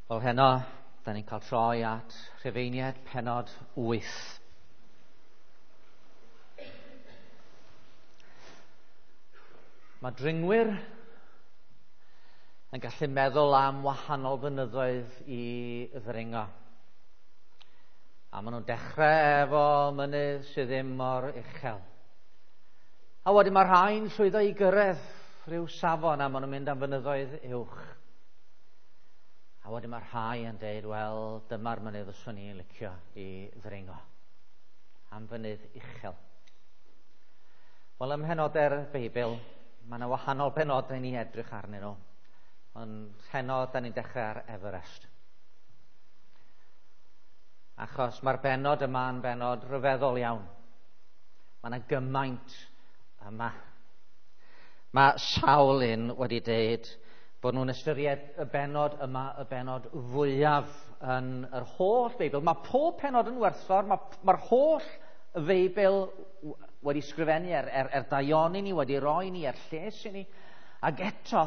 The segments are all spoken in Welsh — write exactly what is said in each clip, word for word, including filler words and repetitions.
Wel heno, da ni'n cael troi at Rhufeiniaid pennod wyth. Mae dringwyr yn gallu meddwl am wahanol fynyddoedd i ddringo. A maen nhw'n dechrau efo mynydd sydd ddim mor uchel. A wedyn mae rhai'n llwyddo i gyrraedd rhyw safon a maen nhw'n mynd am fynyddoedd uwch. A wedyn mae rhai yn deud, wel, dyma'r mynydd fyswn i'n licio i ddringo. Am fynydd uchel. Wel, ym mhenodau'r Beibl, mae yna wahanol benodau ni edrych arnyn nhw. Ond heno, da ni'n dechrau ar Everest. Achos mae'r benod yma yn benod rhyfeddol iawn. Mae yna gymaint yma. Mae sawl un wedi deud bod nhw'n ystyried y benod yma, y benod fwyaf yn yr holl Beibl. Mae pob penod yn werthfawr, mae'r mae holl Feibl wedi sgrifennu er, er, er daioni ni, wedi roi ni, er lles i ni. Ac eto,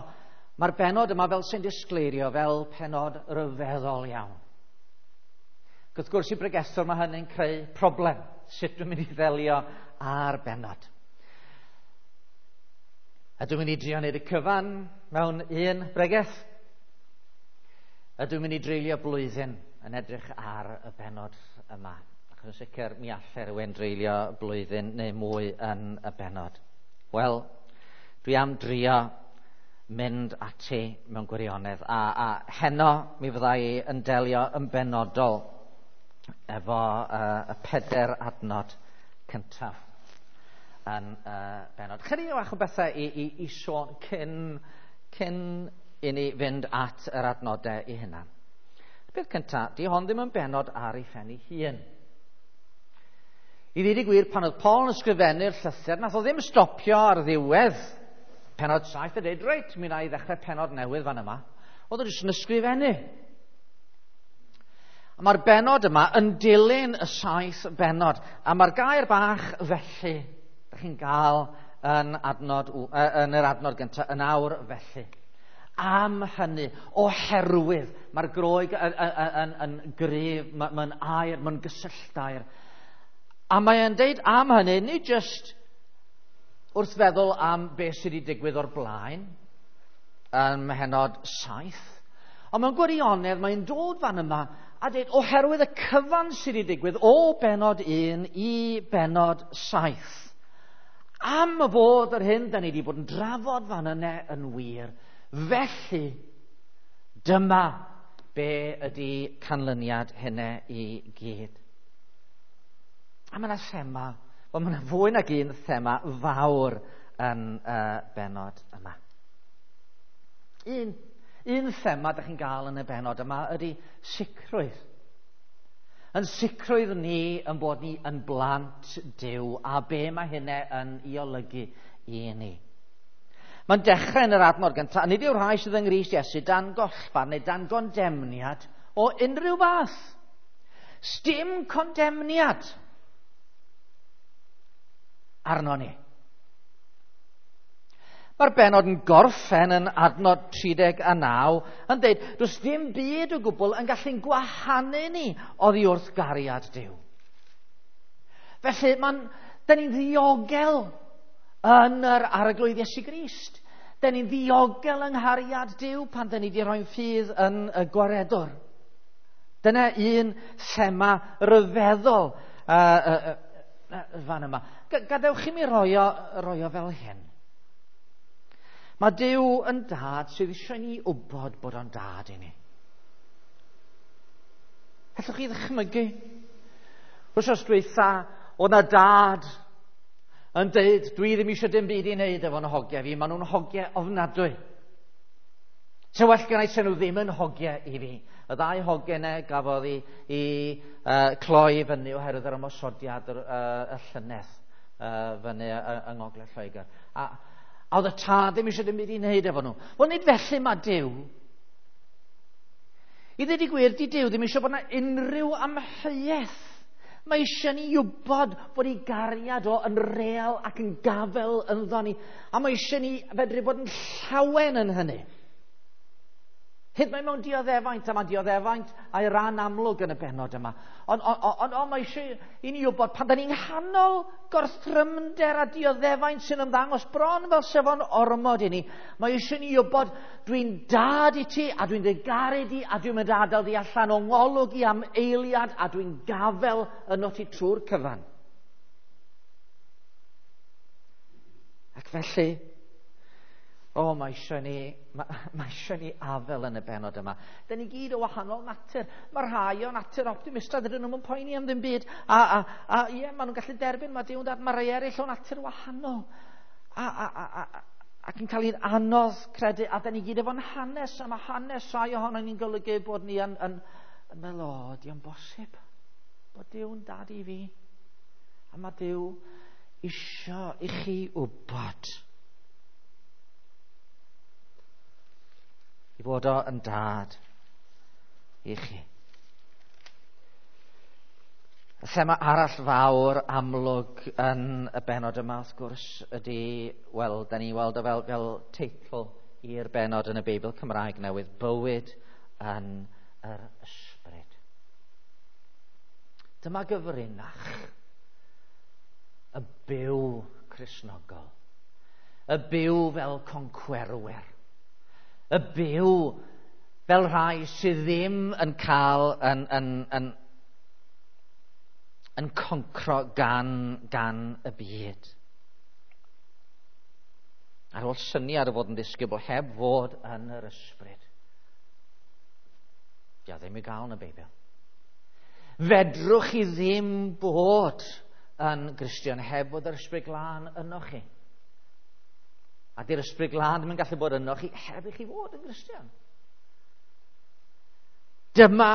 mae'r benod yma fel sy'n disgleirio, fel penod ryfeddol iawn. Ac wrth gwrs i bregethwr mae hynny'n creu problem. Sut dwi'n mynd i ddelio â'r benod? A dwi'n mynd i drio wneud y cyfan mewn un bregeth. A dwi'n mynd i dreulio blwyddyn yn edrych ar y benod yma. Achos yn sicr mi allai rhywun dreulio blwyddyn neu mwy yn y benod. Wel, dwi am drio mynd ati mewn gwirionedd. A, a heno mi fydda i yn delio yn benodol efo uh, y peder adnod cyntaf yn uh, benod. Chydig o bach o bethau i, i, i sôn cyn, cyn i ni fynd at yr adnodau i hunan. Y peth cyntaf, di hon ddim yn benod ar ei phen ei hun. I ddweud y gwir, pan oedd Paul yn ysgrifennu'r llythyr, nath o ddim stopio ar ddiwedd penod saith a dweud, reit, mi wna i ddechrau penod newydd fan yma. Oedd o jyst yn ysgrifennu. A mae'r benod yma yn dilyn y saith benod. A mae'r gair bach felly, ydych chi'n gael yn, adnod, yn yr adnod gyntaf, yn awr felly. Am hynny, oherwydd, mae'r Groeg yn, yn, yn, yn gryf, mae'n air, mae'n gysylltair. A mae'n deud am hynny, nid jyst wrth feddwl am beth sydd wedi digwydd o'r blaen, yn mhenod saith, ond mewn gwirionedd mae'n dod fan yma a dweud oherwydd y cyfan sydd wedi digwydd o benod un i benod saith. Am y bod yr hyn da ni wedi bod yn drafod fan yna yn wir, felly dyma be ydy canlyniad hynny i gyd. A mae yna thema, wel mae yna fwy nag un thema fawr yn y benod yma. Un, un thema da chi'n gael yn y benod yma ydy sicrwydd. Yn sicrwydd ni yn bod ni yn blant Duw a be mae hynny yn ei olygu i ni. Mae'n dechrau yn yr adnod gyntaf, nid yw'r rhai sydd yng Nghrist Iesu dan gollfarn neu dan gondemniad o unrhyw fath. Sdim condemniad arno ni. Mae'r benod yn gorffen yn adnod tri deg a naw yn dweud, does dim byd o gwbl yn gallu'n gwahanu ni oddi wrth gariad Duw. Felly, mae'n, da ni'n ddiogel yn yr Arglwydd Iesu Grist. Da ni'n ddiogel yng nghariad Duw pan da ni wedi rhoi'n ffydd yn y gwaredwr. Dyna un thema ryfeddol uh, uh, uh, fan yma. Gadewch i mi roi o, roi o fel hyn. Mae Duw yn dad sydd eisiau ni wybod bod o'n dad i ni. Allwch chi ddychmygu? Wsos dwytha, oedd na dad yn deud, dwi ddim eisiau dim byd i wneud efo'n hogiau fi, maen nhw'n hogiau ofnadwy. Se well gen i se nhw ddim yn hogiau i fi. Y ddau hogiau yna gafodd i, i uh, cloi fyny oherwydd yr ymosodiad yr, uh, y llynedd uh, fyny yng Ngogledd Lloegr. A, A oedd y tad ddim eisiau dim byd i wneud efo nhw. Wel, nid felly mae Duw. I ddweud y gwir, di Duw ddim eisiau bod yna unrhyw amheuaeth. Mae eisiau ni wybod bod ei gariad o yn real ac yn gafel ynddo ni. A mae eisiau ni fedru bod yn llawen yn hynny. Hyd mae mewn dioddefaint, a mae dioddefaint a'i ran amlwg yn y bennod yma. Ond on, on, on, mae eisiau i ni wybod pan da ni'n nghanol gorthrymder a dioddefaint sy'n ymddangos bron fel sef o'n ormod i ni, mae eisiau ni wybod dwi'n dad i ti a dwi'n dy garu di a dwi'n mynd adael di allan o ngolwg i am eiliad a dwi'n gafel yno ti trwy'r cyfan. Ac felly, o, oh, mae eisiau ni, mae, mae eisiau ni afel yn y bennod yma. Da ni gyd o wahanol natur. Mae rhai o natur optimistaidd, dydyn nhw'n poeni am ddim byd. A, a, a ie, maen nhw'n gallu derbyn, mae Duw'n dad, mae rhai eraill o natur wahanol. A, a, a, a, ac yn cael ein anodd credu, a da ni gyd efo'n hanes, a mae hanes rhai ohono ni'n golygu bod ni yn, yn, yn meddwl, o, di o'n bosib bod Duw'n dad i fi. A mae Duw isio i chi wybod i fod o yn dad i chi. Y thema arall fawr amlwg yn y bennod yma, wrth gwrs, ydy, wel, da ni weld o fel, fel teitl i'r bennod yn y Beibl Cymraeg newydd, Bywyd yn yr Ysbryd. Dyma gyfrinach y byw Cristnogol, y byw fel concwerwyr, y byw fel rhai sydd ddim yn cael yn, yn, yn, yn concro gan, gan y byd. Ar ôl syniad o fod yn ddisgybl heb fod yn yr ysbryd. Dia ddim i gael yn y Beibl. Fedrwch chi ddim bod yn Gristion heb fod yr Ysbryd Glân yno chi. A di'r Ysbryd Glân ddim yn gallu bod yno chi heb i chi fod yn Gristion. Dyma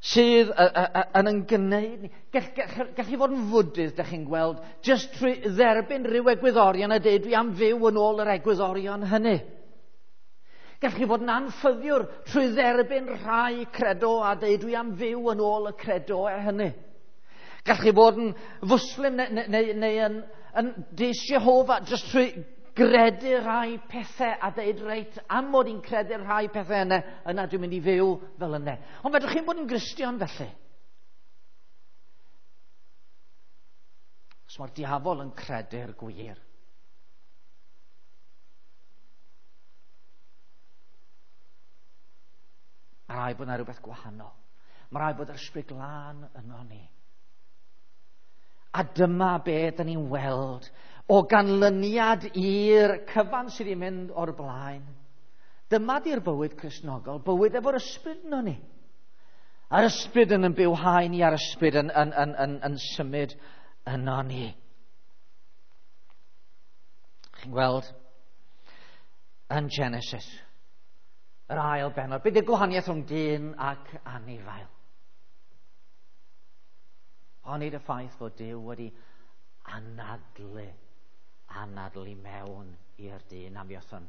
sydd yn yn gwneud ni. Gall, gall, gall chi fod yn fwdydd, da chi'n gweld, jyst trwy dderbyn rhyw egwyddorion a dweud dwi am fyw yn ôl yr egwyddorion hynny. Gall chi fod yn anffyddiwr trwy dderbyn rhai credo a dweud dwi am fyw yn ôl y credo hynny. Gall chi fod yn fwslim neu, neu, neu, neu yn, yn Dys Jehofa jyst trwy gredu rhai pethau a dweud reit, am mod i'n credu rhai pethau yna, yna dwi'n mynd i fyw fel yna. Ond fedrwch chi'n bod yn Gristion felly? Os mae'r diafol yn credu'r gwir. Mae rhaid bod yna rhywbeth gwahanol. Mae rhaid bod yr Ysbryd Glân yno ni. A dyma be da ni'n weld o ganlyniad i'r cyfan sydd wedi mynd o'r blaen. Dyma di'r bywyd Cristnogol, bywyd efo'r ysbryd yno ni. A'r ysbryd yn yn bywhau ni, a'r ysbryd yn, yn, yn, yn, yn symud yno ni. Chi'n gweld yn Genesis, yr ail bennod, beth yw'r gwahaniaeth rhwng dyn ac anifail? Onid y ffaith fod Duw wedi anadlu, anadlu mewn i'r dyn am fuodd o'n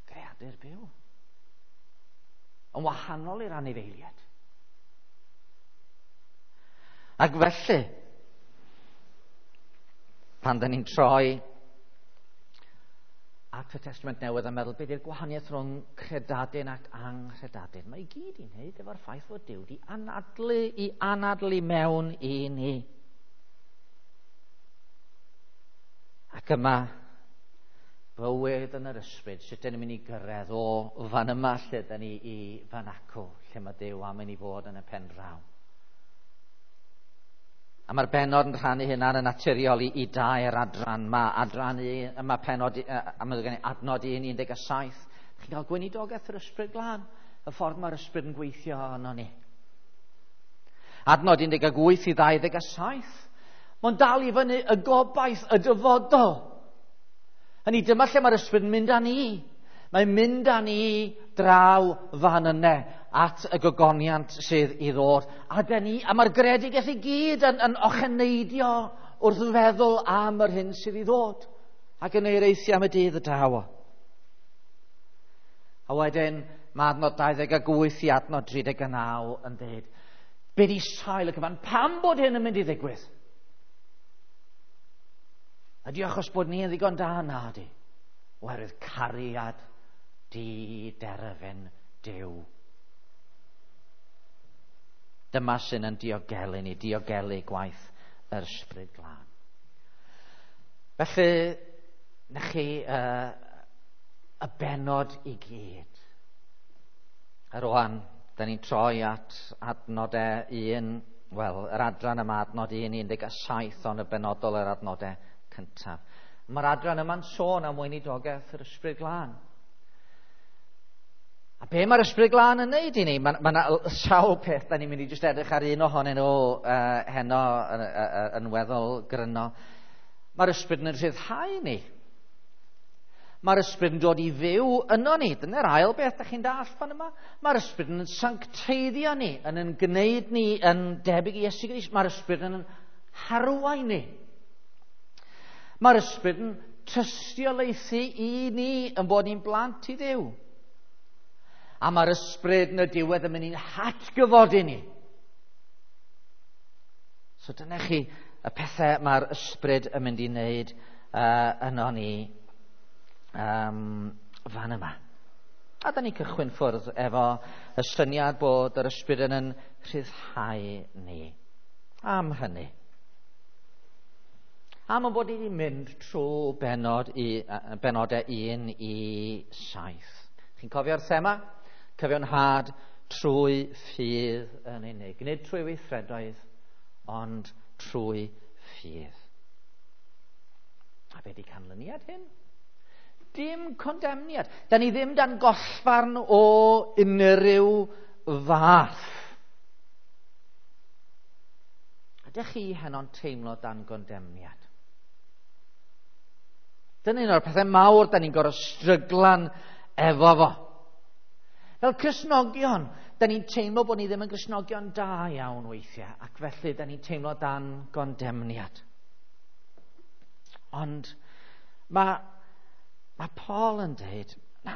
greadur byw. Yn wahanol i'r anifeiliaid. Ac felly, pan da ni'n troi at y Testament Newydd a meddwl beth yw'r gwahaniaeth rhwng credadun ac anghredadun, mae i gyd i wneud efo'r ffaith fod Duw wedi anadlu i anadlu mewn i ni. Ac yma, bywyd yn yr ysbryd, sut dyn ni'n mynd i gyrraedd o fan yma lle dyn ni i fan acw, lle mae Duw am i ni fod yn y pen draw. A mae'r bennod yn rhannu hynna'n yn naturiol i, i dair adran. Mae adran un, mae pennod, a mae gen i adnod un, un deg saith. Chi'n cael gweinidogaeth yr Ysbryd Glân, y ffordd mae'r ysbryd yn gweithio arno ni. Adnod un deg wyth i ddau ddeg saith. Mae'n dal i fyny y gobaith, y dyfodol. Hynny dyma lle mae'r ysbryd yn mynd â ni. Mae'n mynd â ni draw fan yne at y gogoniant sydd i ddod. A, dyn ni, a mae'r greadigaeth i gyd yn, yn ocheneidio wrth feddwl am yr hyn sydd i ddod. Ac yn eireithio am y dydd y daw. A wedyn mae adnod dau ddeg wyth i adnod tri deg naw yn dweud, be di sail y cyfan? Pam bod hyn yn mynd i ddigwydd? Ydy achos bod ni yn ddigon da? Na di. Oherwydd cariad di derfyn Duw. Dyma sy'n yn diogelu ni, diogelu gwaith yr Ysbryd Glân. Felly, na chi uh, y bennod i gyd. A rwan, da ni'n troi at adnodau un, wel, yr adran yma, adnod un, un deg saith, ond y benodol yr adnodau cyntaf. Mae'r adran yma'n sôn am weinidogaeth yr Ysbryd Glân. A be mae'r Ysbryd Glân yn neud i ni? Mae yna sawl peth, da ni'n mynd i jyst edrych ar un ohonyn nhw uh, heno yn, yn, yn weddol gryno. Mae'r Ysbryd yn rhyddhau ni. Mae'r Ysbryd yn dod i fyw yno ni. Dyna'r ail beth da chi'n dallt fan yma. Mae'r Ysbryd yn sancteiddio ni, yn yn gwneud ni yn debyg i Iesu Grist. Mae'r Ysbryd yn harwain ni. Mae'r Ysbryd yn tystiolaethu i ni yn bod ni'n blant i Dduw. A mae'r Ysbryd yn y diwedd yn mynd i'n hatgyfodi ni. So dyna chi y pethau mae'r Ysbryd yn mynd i wneud uh, yno ni um, fan yma. A da ni'n cychwyn ffwrdd efo y syniad bod yr Ysbryd yn yn rhyddhau ni. Am hynny. Am y bod ni wedi mynd trwy benod i, benodau un i saith. Chi'n cofio'r thema? Cyfiawnhad trwy ffydd yn unig. Nid trwy weithredoedd, ond trwy ffydd. A be di canlyniad hyn? Dim condemniad. Da ni ddim dan gollfarn o unrhyw fath. Ydych chi heno'n teimlo dan gondemniad? Dyna un o'r pethau mawr da ni'n gorfod stryglan efo fo. Fel Cristnogion, da ni'n teimlo bod ni ddim yn Gristnogion da iawn weithiau, ac felly da ni'n teimlo dan gondemniad. Ond mae Mae Paul yn dweud, na,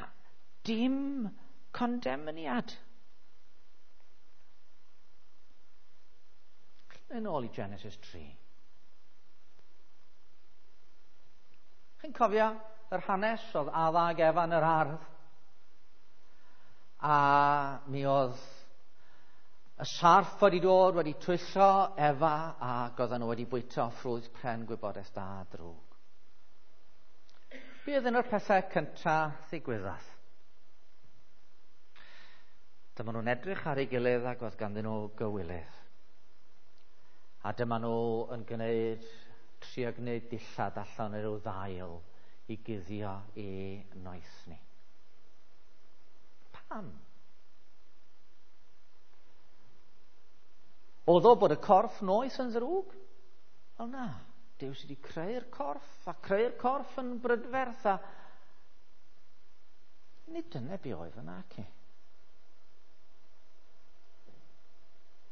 dim condemniad. Yn ôl i Genesis tri. Chi'n cofio yr hanes oedd Adda ag Efa yn yr ardd? A mi oedd y sarff wedi dod, wedi twyllo Efa, ac oedden nhw wedi bwyta ffrwyth pren gwybodaeth da a drwg. Be oedd un o'r pethau cyntaf ddigwyddodd? Dyma nhw'n edrych ar ei gilydd ac oedd ganddyn nhw gywilydd. A dyma nhw yn gwneud, trio gwneud dillad allan o ryw ddail i guddio i noethni. Pam? Oedd o bod y corff noeth yn ddrwg? Wel na. Duw sydd wedi creu'r corff, a creu'r corff yn brydferth, a nid dyna be oedd yna, ci.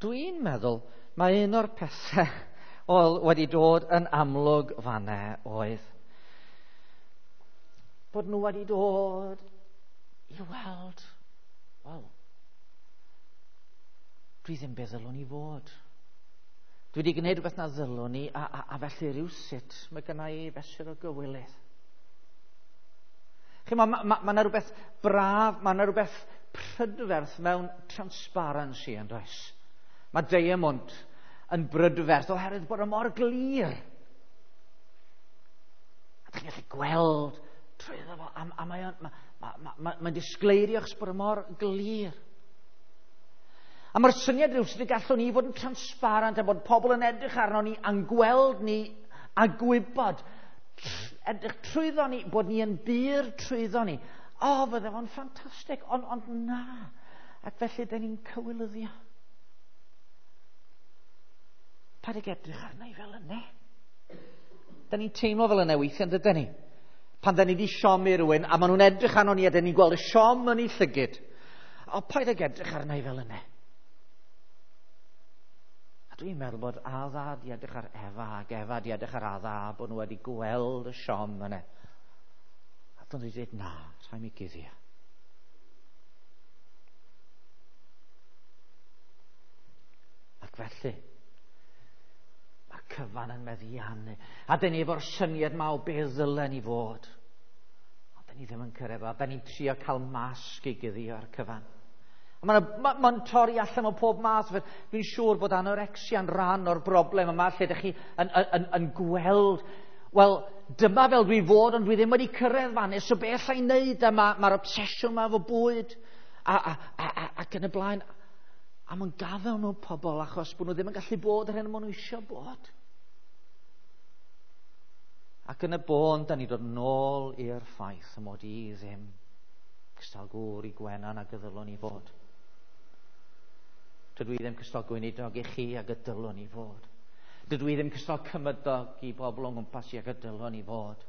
Dwi'n meddwl mae un o'r pethau oedd wedi dod yn amlwg fanna oedd bod nhw wedi dod i weld, wel, dwi ddim beth ddylwn i fod. Dwi wedi gwneud rhywbeth na ddylwn i, a, a, a felly rhywsut mae gynna i fesur o gywilydd. Chi, mae ma, ma, ma 'na rhywbeth braf, mae 'na rhywbeth prydferth mewn transparency yn does. Mae diamond yn brydferth oherwydd bod o mor glir. A chi'n gallu gweld trwyddo fo, a, a mae'n ma, ma, ma, ma, ma disgleirio achos bod o mor glir. A mae'r syniad rhyw sydd y gallwn ni fod yn transparent a bod pobl yn edrych arno ni a'n gweld ni a gwybod, edrych trwyddo ni, bod ni yn bur trwyddo ni. O, fydde fo'n ffantastig, ond, ond na. Ac felly, da ni'n cywilyddio. Paid ag edrych arna i fel yna. Da ni'n teimlo fel yna weithiau, dydyn ni? Pan da ni wedi siomi rhywun, a maen nhw'n edrych arno ni a da ni'n gweld y siom yn ei llygid. O, paid ag edrych arna i fel yna. A dwi'n meddwl bod Adda di edrych ar Efa ac Efa di edrych ar Adda a bod nhw wedi gweld y siom yna. A dyn nhw wedi dweud, na, rhaid mi guddio. Ac felly, mae'r cyfan yn meddiannu. A dyn ni efo'r syniad ma o be ddylen ni fod. Ond dyn ni ddim yn cyrraedd. A dyn ni'n trio cael masg i guddio ar cyfan. Mae'n ma, ma torri allan o pob math. Dwi'n siŵr bod anorexia'n rhan o'r broblem yma, lle ydych chi yn, yn, yn, yn gweld, wel, dyma fel dwi fod, ond dwi ddim wedi cyrraedd fan, so beth allai wneud? A mae'r ma obsesiwn yma efo bwyd, a, a, a, a, ac yn y blaen. A mae'n gadael nhw pobl achos bod nhw ddim yn gallu bod yr hyn maen nhw eisiau bod. Ac yn y bôn, da ni dod nôl i'r ffaith y mod i ddim cystal gŵr i Gwenan ag y ddylwn i fod. Dydw i ddim cystal gweinidog i chi ag y dylwn i fod. Dydw i ddim cystal cymydog i bobl o'n gwmpas i ag y dylwn i fod.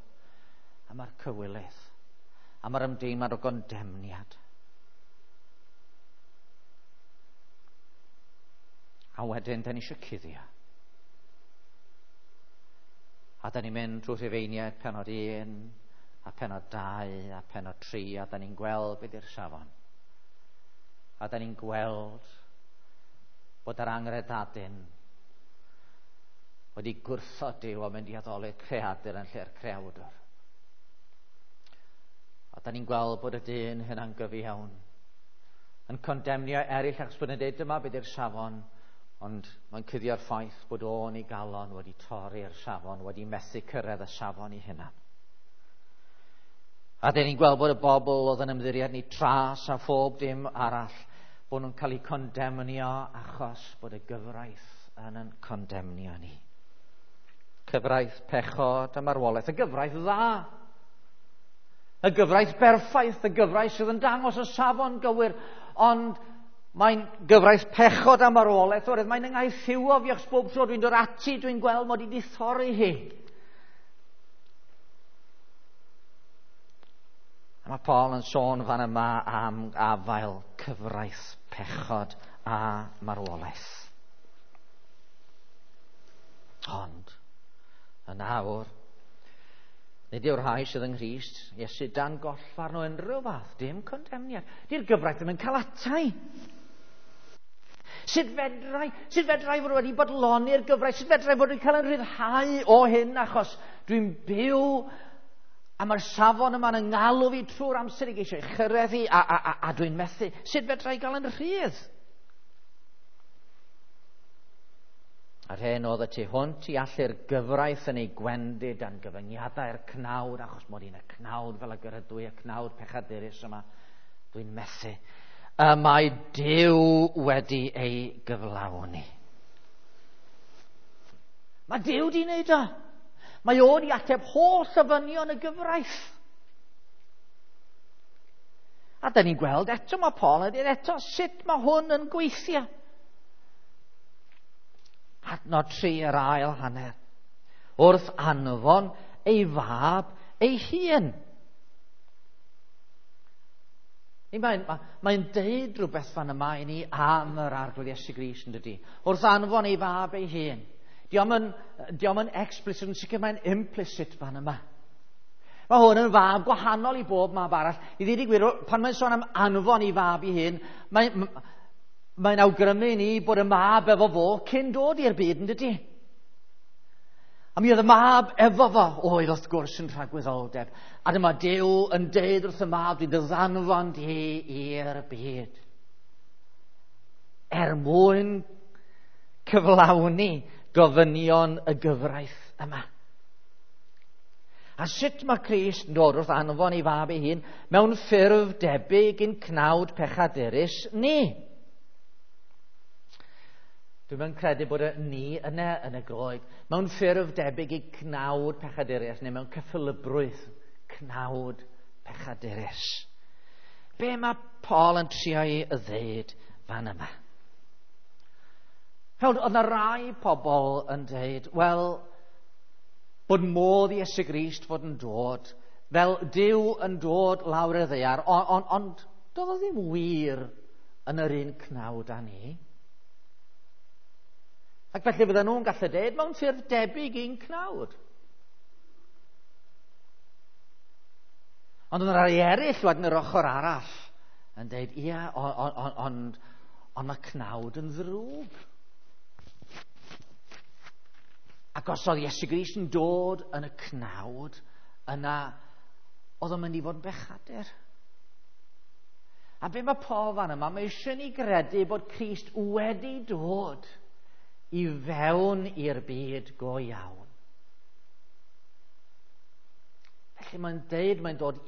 A mae'r cywilydd, a mae'r ymdeimlad o gondemniad. A wedyn, da ni eisiau cuddio. A da ni'n mynd drwy Rhufeiniaid penod un, a penod dau, a penod tri, a da ni'n gweld beth yw'r safon. A da ni'n gweld bod yr angredadun wedi gwrthod Duw a mynd i addoli'r creadur yn lle'r creawdwr. A da ni'n gweld bod y dyn hynna'n gyfiawn, yn condemnio eraill achos bod yn dweud dyma beth yw'r safon, ond mae'n cuddio'r ffaith bod o'n ei galon wedi torri'r safon, wedi methu cyrraedd y safon i hunan. A dyn ni'n gweld bod y bobl oedd yn ymddiried ni tras a phob dim arall, bod nhw'n cael eu condemnio achos bod y gyfraith yn yn condemnio ni. Cyfraith pechod a marwolaeth, y gyfraith dda, y gyfraith berffaith, y gyfraith sydd yn dangos y safon gywir, ond mae'n gyfraith pechod a marwolaeth, oherwydd mae'n ynghaethiwo fi achos bob tro dwi'n dod ati, dwi'n gweld mod i wedi thorri hi. A mae Paul yn sôn fan yma am afael cyfraith pechod a marwolaeth. Ond, yn awr, nid yw'r rhai sydd yng Nghrist, Iesu dan gollfarn o unrhyw fath, dim condemniad. Di'r gyfraith ddim yn cael atai. Sut fedrai, sut fedrai fod wedi bodloni'r gyfraith, sut fedrai fod wedi cael yn rhyddhau o hyn, achos dwi'n byw a mae'r safon yma'n yngalw fi trwy'r amser i geisio ei chyrraedd hi, a, a, a, a dwi'n methu. Sut fedrai gael yn rhydd? A'r hyn oedd y tu hwnt i allu'r gyfraith yn ei gwendid dan gyfyngiadau'r cnawd, achos mod i'n y cnawd fel y gyrydw i, y cnawd pechadurus yma, dwi'n methu. Y mae Duw wedi ei gyflawni. Mae Duw di wneud o. Mae o wedi ateb holl ofynion y gyfraith. A da ni'n gweld eto, mae Paul yn dweud eto, sut mae hwn yn gweithio. Adnod tri yr ail hanner. Wrth anfon ei fab ei hun. Mae'n mae deud rhywbeth fan yma i ni am yr Arglwydd Iesu Grist, yn dydi? Wrth anfon ei fab ei hun. Dio'm yn, dio'm yn explicit, yn sicr mae'n implicit fan yma. Mae hwn yn fab gwahanol i bob mab arall. I ddweud y gwir, pan mae'n sôn am anfon ei fab ei hun, mae'n mae'n awgrymu ni bod y mab efo fo cyn dod i'r byd, yn dydi? A mi oedd y mab efo fo, oedd wrth gwrs yn rhagwyddoldeb. A dyma Duw yn deud wrth y mab, dwi'n dy ddanfon di i'r byd. Er mwyn cyflawni gofynion y gyfraith yma. A sut mae Crist yn dod wrth anfon ei fab ei hun mewn ffurf debyg i'n cnawd pechadurus ni? Dwi'n yn credu bod y ni yna yn y Groeg mewn ffurf debyg i cnawd pechadurus neu mewn cyffelybrwydd cnawd pechadurus. Be mae Paul yn trio ei ddeud fan yma? Fel, oedd yna rai pobl yn dweud, wel, bod modd i Iesu Grist fod yn dod, fel Duw yn dod lawr y ddaear, ond on, on, doedd o ddim wir yn yr un cnawd â ni. Ac felly fydden nhw'n gallu dweud mewn ffurf debyg i'n cnawd. Ond oedd rhai eraill wedyn yr ochr arall yn dweud, ia, ond on, on, on, on mae cnawd yn ddrwg. Ac os oedd Iesu Grist yn dod yn y cnawd, yna oedd o'n mynd i fod yn bechadur. A be mae Paul fan yma, mae eisiau ni gredu bod Crist wedi dod i fewn i'r byd go iawn. Felly mae'n deud, mae'n dod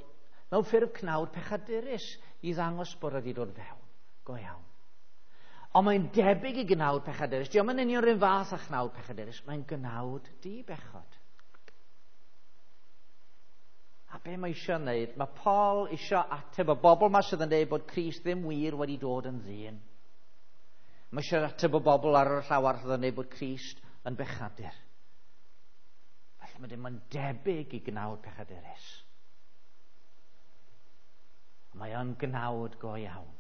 mewn ffurf cnawd pechadurus i ddangos bod wedi dod fewn go iawn. Ond mae'n debyg i gnawd pechadurus. Dio'm yn union rhywun fath â chnawd pechadurus, mae'n gnawd di-bechod. A be mae eisiau wneud? Mae Paul eisiau ateb y bobl yma sydd yn dweud bod Crist ddim wir wedi dod yn ddyn. Mae eisiau ateb y bobl ar y llaw arall sydd yn dweud bod Crist yn bechadur. Felly mae dim yn debyg i gnawd pechadurus. Mae o'n gnawd go iawn.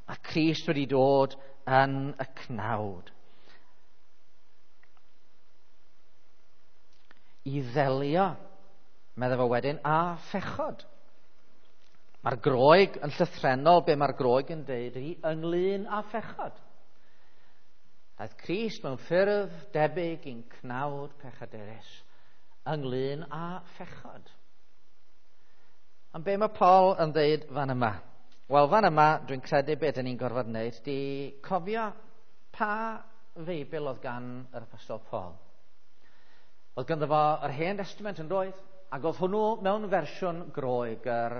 Mae Crist wedi dod yn y cnawd i ddelio, meddai fo wedyn, a phechod. Mae'r Groeg yn llythrennol, be mae'r Groeg yn deud ydy ynglyn â phechod. Daeth Crist mewn ffurf debyg i'n cnawd pechadurus ynglyn â phechod. Ond be mae Paul yn dweud fan yma? Wel, fan yma, dwi'n credu beth dyn ni'n gorfod wneud, di cofio pa Feibl oedd gan yr Apostol Paul. Oedd ganddo fo yr Hen Testament yn doedd, ac oedd hwnnw mewn fersiwn Groeg, yr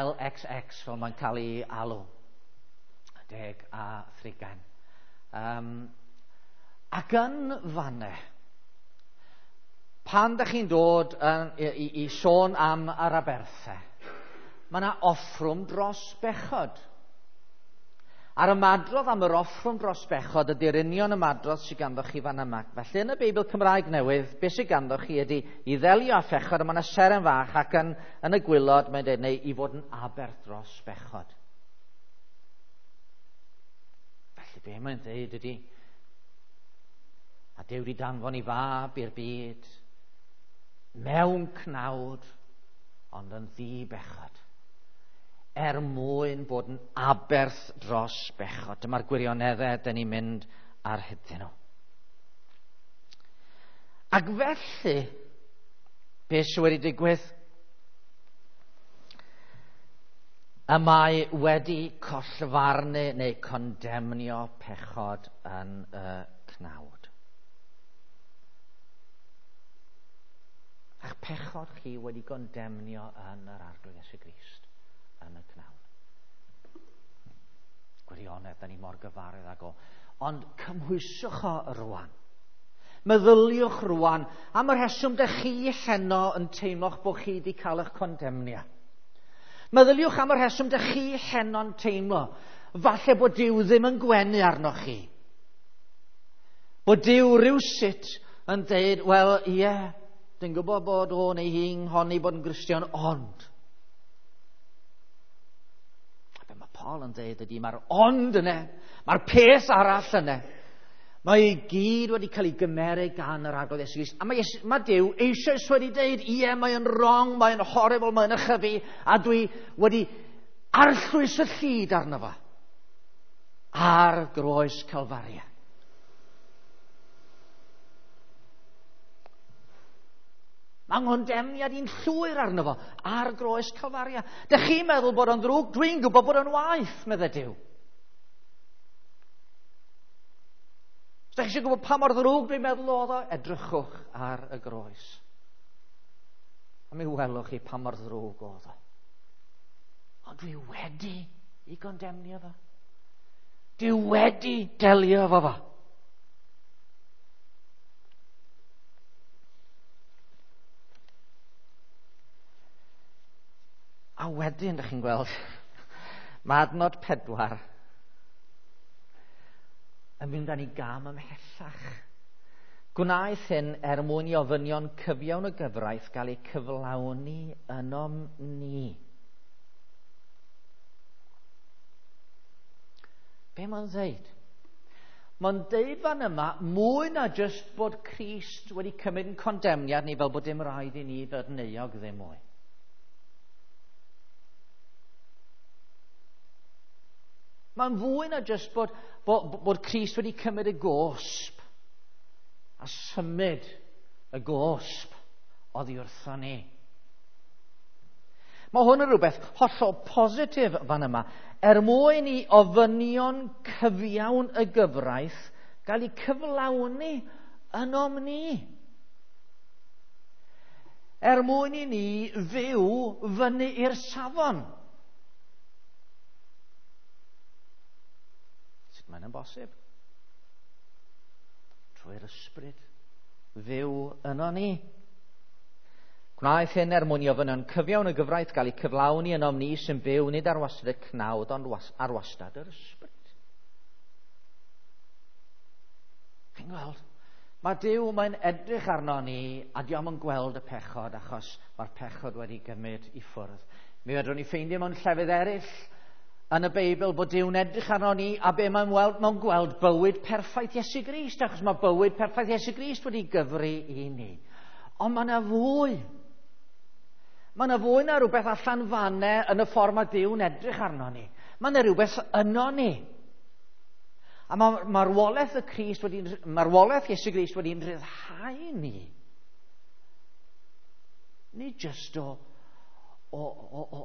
L X X, fel mae'n cael ei alw, deg a thrigain. Um, ac yn fanne, pan da chi'n dod yn, i, i, i sôn am yr aberthau, mae yna offrwm dros bechod. A'r ymadrodd am yr offrwm dros bechod ydy'r union ymadrodd sydd ganddo chi fan yma. Felly yn y Beibl Cymraeg Newydd, beth sydd ganddo chi ydy i ddelio â phechod, a mae yna seren fach ac yn, yn y gwylod mae'n dweud, neu i fod yn aberth dros bechod. Felly be mae'n dweud ydy, a Duw wedi danfon i fab i'r byd, mewn cnawd, ond yn ddi-bechod, er mwyn bod yn aberth dros bechod. Dyma'r gwirioneddau dyn ni'n mynd ar hydyn nhw. Ac felly, beth sydd wedi digwydd? Y mae wedi collfarnu neu condemnio pechod yn y cnawd. A'ch pechod chi wedi condemnio yn yr Arglwydd Iesu Grist yn y cnawd. Gwirionedd, da ni mor gyfarwydd ag o. Ond cymhwyswch o rwan. Meddyliwch rwan am y rheswm dych chi heno yn teimlo'ch bod chi wedi cael eich condemnio. Meddyliwch am y rheswm dych chi heno'n teimlo falle bod Duw ddim yn gwenu arnoch chi. Bod Duw rywsut yn deud, wel, ie, yeah, dwi'n gwybod bod o neu hi'n honni bod yn Gristion, ond be mae Paul yn dweud ydy, mae'r ond yna, mae'r peth arall yna. Mae i gyd wedi cael ei gymeryd gan yr Arglwydd Iesu Grist. A mae, Iesu, mae Duw eisoes wedi dweud, ie, mae'n wrong, mae'n horrible, mae'n ychyfu, a dwi wedi arllwys y llid arno fo ar groes Calfaria. Mae ngondemniad i'n llwyr arno fo ar groes Calfaria. Dych chi'n meddwl bod o'n ddrwg? Dwi'n gwybod bod o'n waeth, meddai Duw. Os dych chi eisiau gwybod pa mor ddrwg dwi'n meddwl oedd o, edrychwch ar y groes. A mi welwch chi pa mor ddrwg oedd o. Ond dwi wedi i gondemnio fo. Dwi wedi delio efo fo. A wedyn, dych chi'n gweld, mae adnod pedwar yn mynd â ni gam ymhellach. Gwnaeth hyn er mwyn i ofynion cyfiawn y gyfraith gael eu cyflawni ynom ni. Be mae'n dweud? Mae'n deud fan yma, mwy na jyst bod Crist wedi cymryd yn condemniad ni fel bod dim rhaid i ni fod yn euog ddim mwy. Mae'n fwy na jyst bod, bod, bod Crist wedi cymryd y gosb a symud y gosb oddi wrtho ni. Mae hwn yn rhywbeth hollol positif fan yma. Er mwyn i ofynion cyfiawn y gyfraith gael eu cyflawni ynom ni. Er mwyn i ni fyw fyny i'r safon. Sut mae'n bosib? Trwy'r ysbryd fyw yno ni. Gwnaeth hyn er mwyn i ofynion cyfiawn y gyfraith gael eu cyflawni ynom ni sy'n byw nid ar wastad y cnawd ond ar wastad yr ysbryd. Chi'n gweld? Mae Duw mae'n edrych arno ni a dio'm yn gweld y pechod achos mae'r pechod wedi gymryd i ffwrdd. Mi fedrwn ni ffeindio mewn llefydd eraill yn y Beibl bod Duw'n edrych arno ni a be mae'n weld, mae'n gweld bywyd perffaith Iesu Grist, achos mae bywyd perffaith Iesu Grist wedi gyfri i ni. Ond mae yna fwy. Mae yna fwy na rhywbeth allan fanne yn y ffordd mae Duw'n edrych arno ni. Mae yna rhywbeth yno ni. A mae marwolaeth y Crist wedi, marwolaeth Iesu Grist wedi'n rhyddhau ni. Nid jyst o, o, o, o,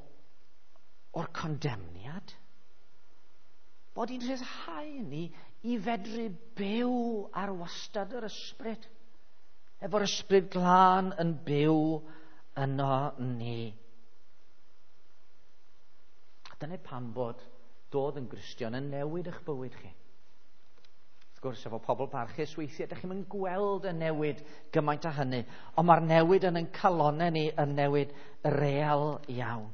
o'r condemniad. Bod hi'n rhyddhau ni i fedru byw ar wastad yr ysbryd. Efo'r ysbryd glân yn byw yno ni. A dyna pam bod dod yn Gristion yn newid eich bywyd chi. Wrth gwrs, efo pobl parchus weithiau, ydych chi'n gweld y newid gymaint â hynny, ond mae'r newid yn ein calonnau ni yn newid real iawn.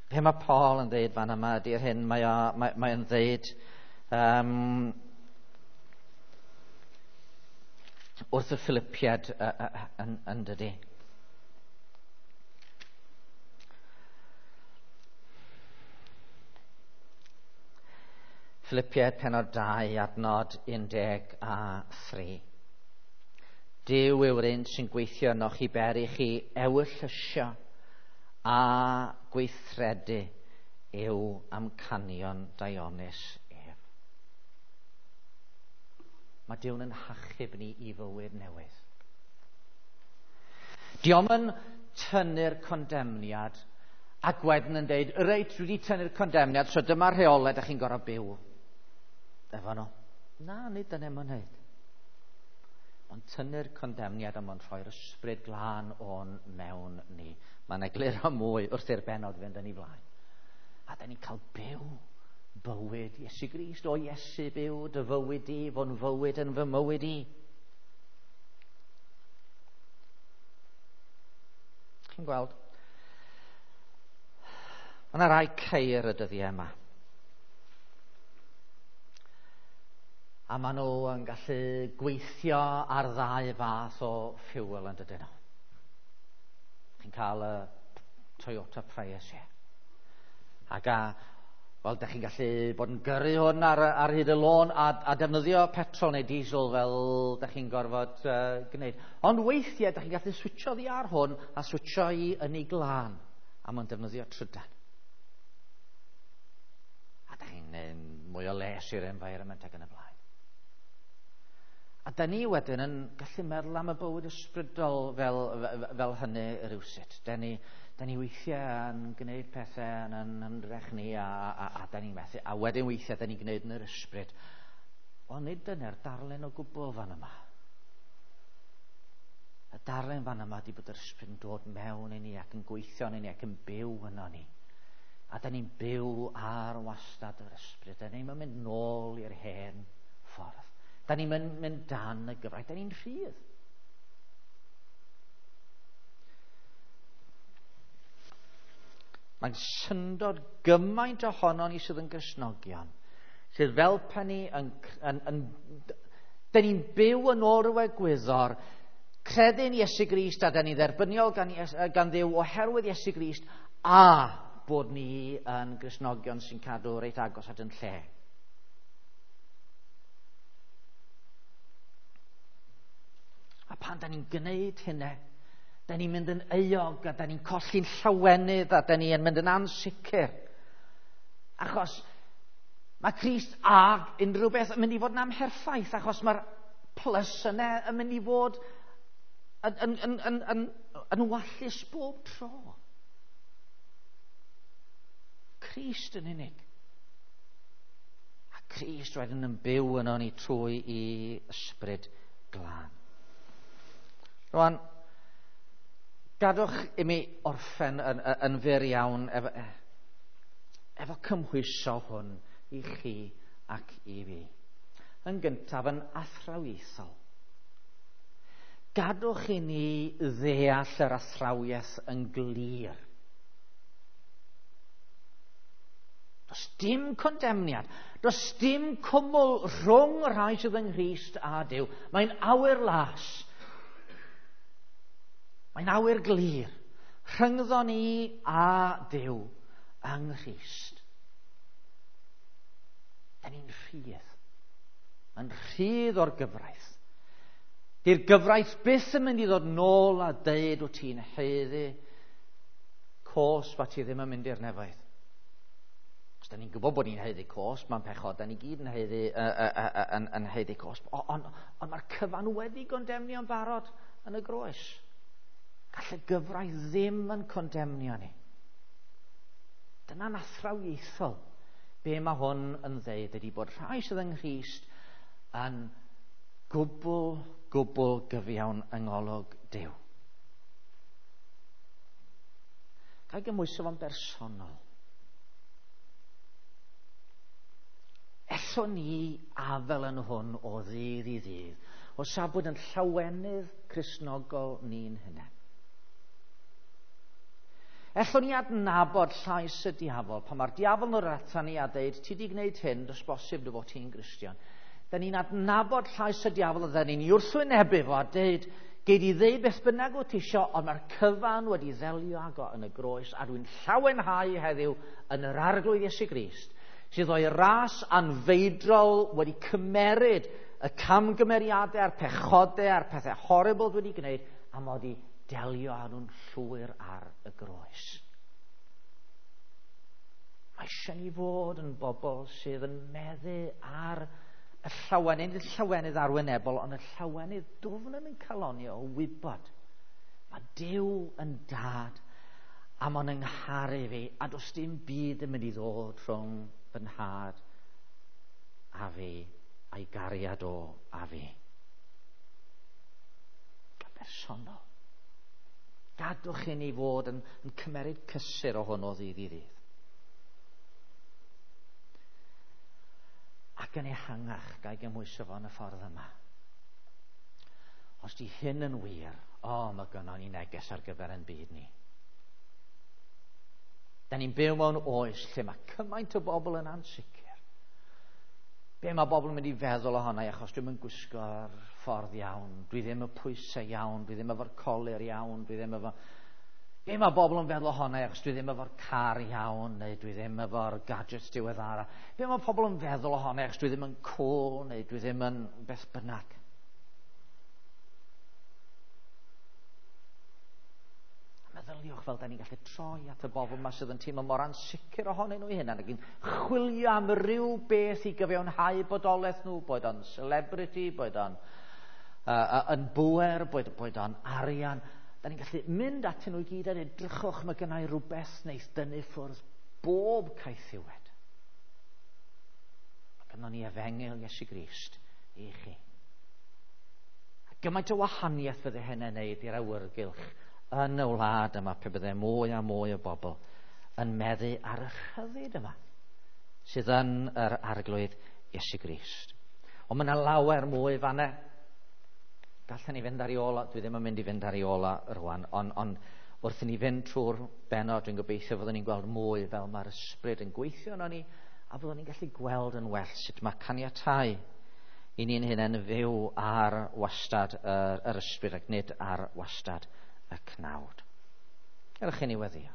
Be mae Paul yn dweud fan yma ydy'r hyn mae o, mae, mae o'n dweud um, wrth y Philippiaid uh, uh, yn, yn dydy. Philippiaid pennod dau, adnod un deg a thri. Duw yw'r un sy'n gweithio ynoch i beri chi ewyllysio a gweithredu yw amcanion daionus ef. Mae Duw'n yn hachub ni i fywyd newydd. Dio'm yn tynnu'r condemniad ac wedyn yn deud, reit, dwi wedi tynnu'r condemniad, so dyma'r rheolau da chi'n gorfod byw efo nhw. Na, nid dyna mae'n neud. Ond tynnu'r condemniad a mae'n rhoi'r ysbryd glân o'n mewn ni. Mae'n egluro mwy wrth i'r bennod fynd yn ei flaen. A da ni'n cael byw bywyd Iesu Grist. O Iesu byw dy fywyd i, fo'n fywyd yn fy mywyd i. Chi'n gweld? Mae yna rai ceir y dyddiau yma. A maen nhw yn gallu gweithio ar ddau fath o fuel yn dydyn nhw. Chi'n cael y Toyota Prius, ie. Ac a, wel, da chi'n gallu bod yn gyrru hwn ar, ar hyd y lôn a, a defnyddio petrol neu diesel fel da chi'n gorfod uh, gwneud. Ond weithiau, da chi'n gallu switcho ddi ar hwn a switcho i ynni glân. A mae'n defnyddio trydan. A da chi'n gwneud mwy o les i'r environment ac yn y blaen. A da ni wedyn yn gallu meddwl am y bywyd ysbrydol fel, fel hynny rywsut. Da ni, da ni weithiau yn gwneud pethau yn, yn ymdrech ni a, a, a da ni'n methu. A wedyn weithiau da ni'n gwneud yn yr ysbryd. Ond nid dyna'r darlun o gwbl fan yma. Y darlun fan yma di bod yr ysbryd yn dod mewn i ni ac yn gweithio yn ni ac yn byw yno ni. A da ni'n byw ar wastad yr ysbryd. Da ni'n mynd nôl i'r hen ffordd. Da ni'n mynd, mynd dan y gyfraith, da ni'n rhydd. Mae'n syndod gymaint ohono ni sydd yn Gristnogion, sydd fel pen ni yn, yn, yn, da ni'n byw yn ôl ryw egwyddor, credu'n Iesu Grist a da ni'n dderbyniol gan, gan Dduw oherwydd Iesu Grist, a bod ni yn Gristnogion sy'n cadw reit agos at yn lle. A pan da ni'n gwneud hynny, da ni'n mynd yn euog a da ni'n colli'n llawenydd a da ni'n mynd yn ansicr. Achos mae Crist ag unrhyw beth yn mynd i fod yn amherffaith, achos mae'r plus yna yn mynd i fod yn, yn, yn, yn, yn, yn wallus bob tro. Crist yn unig. A Crist wedyn yn byw yno ni trwy i ysbryd glân. Rwan, gadwch i mi orffen yn, yn, yn fyr iawn efo, efo cymhwyso hwn i chi ac i fi. Yn gyntaf, yn athrawiaethol. Gadwch i ni ddeall yr athrawiaeth yn glir. Does dim condemniad, does dim cwmwl rhwng y rhai sydd yng Nghrist a Duw. Mae'n awyr las. Mae'n awyr glir. Rhyngddo ni a Duw yng Nghrist. Da ni'n rhydd. Yn rhydd o'r gyfraith. Di'r gyfraith byth yn mynd i ddod nôl a deud wyt ti'n haeddu cosb a ti ddim yn mynd i'r nefoedd. Os da ni'n gwybod bod ni'n haeddu cosb, mae'n pechod, da ni gyd yn haeddu, uh, uh, uh, yn, yn haeddu cosb. Ond on, on mae'r cyfan wedi gondemnio'n barod yn y groes. Gall y gyfraith ddim yn condemnio ni. Dyna'n athrawiaethol. Be mae hwn yn ddeud ydy bod rhai sydd yng Nghrist yn gwbl, gwbl gyfiawn yng ngolwg Duw. Ga i gymhwyso fo'n bersonol. Ellwn ni afel yn hwn o ddydd i ddydd, o safbwynt yn llawenydd Cristnogol ni'n hunain. Ellwn ni adnabod llais y diafol, pan mae'r diafol yn dod atan ni a deud, ti di gwneud hyn, does bosib dy fod ti'n Gristion. Da ni'n adnabod llais y diafol a da ni'n wrthwynebu fo a deud, gei di ddeud beth bynnag wyt ti isio, ond mae'r cyfan wedi ddelio ag o yn y groes, a dwi'n llawenhau heddiw yn yr Arglwydd Iesu Grist, sydd o'i ras anfeidrol wedi cymeryd y camgymeriadau a'r pechodau a'r pethau horrible dwi wedi gwneud, a mod i delio â nhw'n llwyr ar y groes. Mae eisiau ni fod yn bobl sydd yn meddu ar y llawenydd, nid y llawenydd arwynebol, ond y llawenydd dwfn yn ein calonio o wybod. Mae Duw yn dad a mae'n yngharu fi, a does dim byd yn mynd i ddod rhwng fy nhad a fi, a'i gariad o a fi. Yn bersonol. Gadwch i ni fod yn, yn cymeryd cysur o hwn o ddydd i ddydd. Ac yn ehangach, ga i gymhwyso fo yn y ffordd yma. Os di hyn yn wir, o, mae gynnon ni neges ar gyfer ein byd ni. Da ni'n byw mewn oes lle mae cymaint o bobl yn ansicr. Be mae bobl yn mynd i feddwl ohono i achos dwi'm yn gwisgo'r ffordd iawn, dwi ddim y pwysau iawn, dwi ddim efo'r colur iawn, dwi ddim efo... Be mae bobl yn feddwl ohono i achos dwi ddim efo'r car iawn, neu dwi ddim efo'r gadgets diweddara. Be mae pobl yn feddwl ohono i achos dwi ddim yn cool, neu dwi ddim yn beth bynnag. Meddyliwch fel da ni'n gallu troi at y bobl yma sydd yn teimlo mor ansicr ohonyn nhw eu hunain ac yn chwilio am ryw beth i gyfiawnhau bodolaeth nhw, boed o'n celebrity, boed o'n uh, yn bŵer, boed, boed o'n arian. Da ni'n gallu mynd atyn nhw i gyd a dweud, drychwch, mae gynna i rhywbeth wneith dynnu ffwrdd bob caethiwed. Mae gynnon ni efengyl Iesu Grist i chi. A gymaint o wahaniaeth fydde hynny'n neud i'r awyrgylch yn y wlad yma pe bydde mwy a mwy o bobl yn meddu ar y rhyddid yma sydd yn yr Arglwydd Iesu Grist. Ond mae yna lawer mwy fanna. Gallen ni fynd ar ei ôl, dwi ddim yn mynd i fynd ar ei ôl rwan, ond on, wrth i ni fynd trwy'r bennod, dwi'n gobeithio fyddwn ni'n gweld mwy fel mae'r ysbryd yn gweithio yno ni, a fyddwn ni'n gallu gweld yn well sut mae caniatáu i ni'n hunain fyw ar wastad yr, yr ysbryd ac nid ar wastad y cnawd. Gadewch i ni weddïo.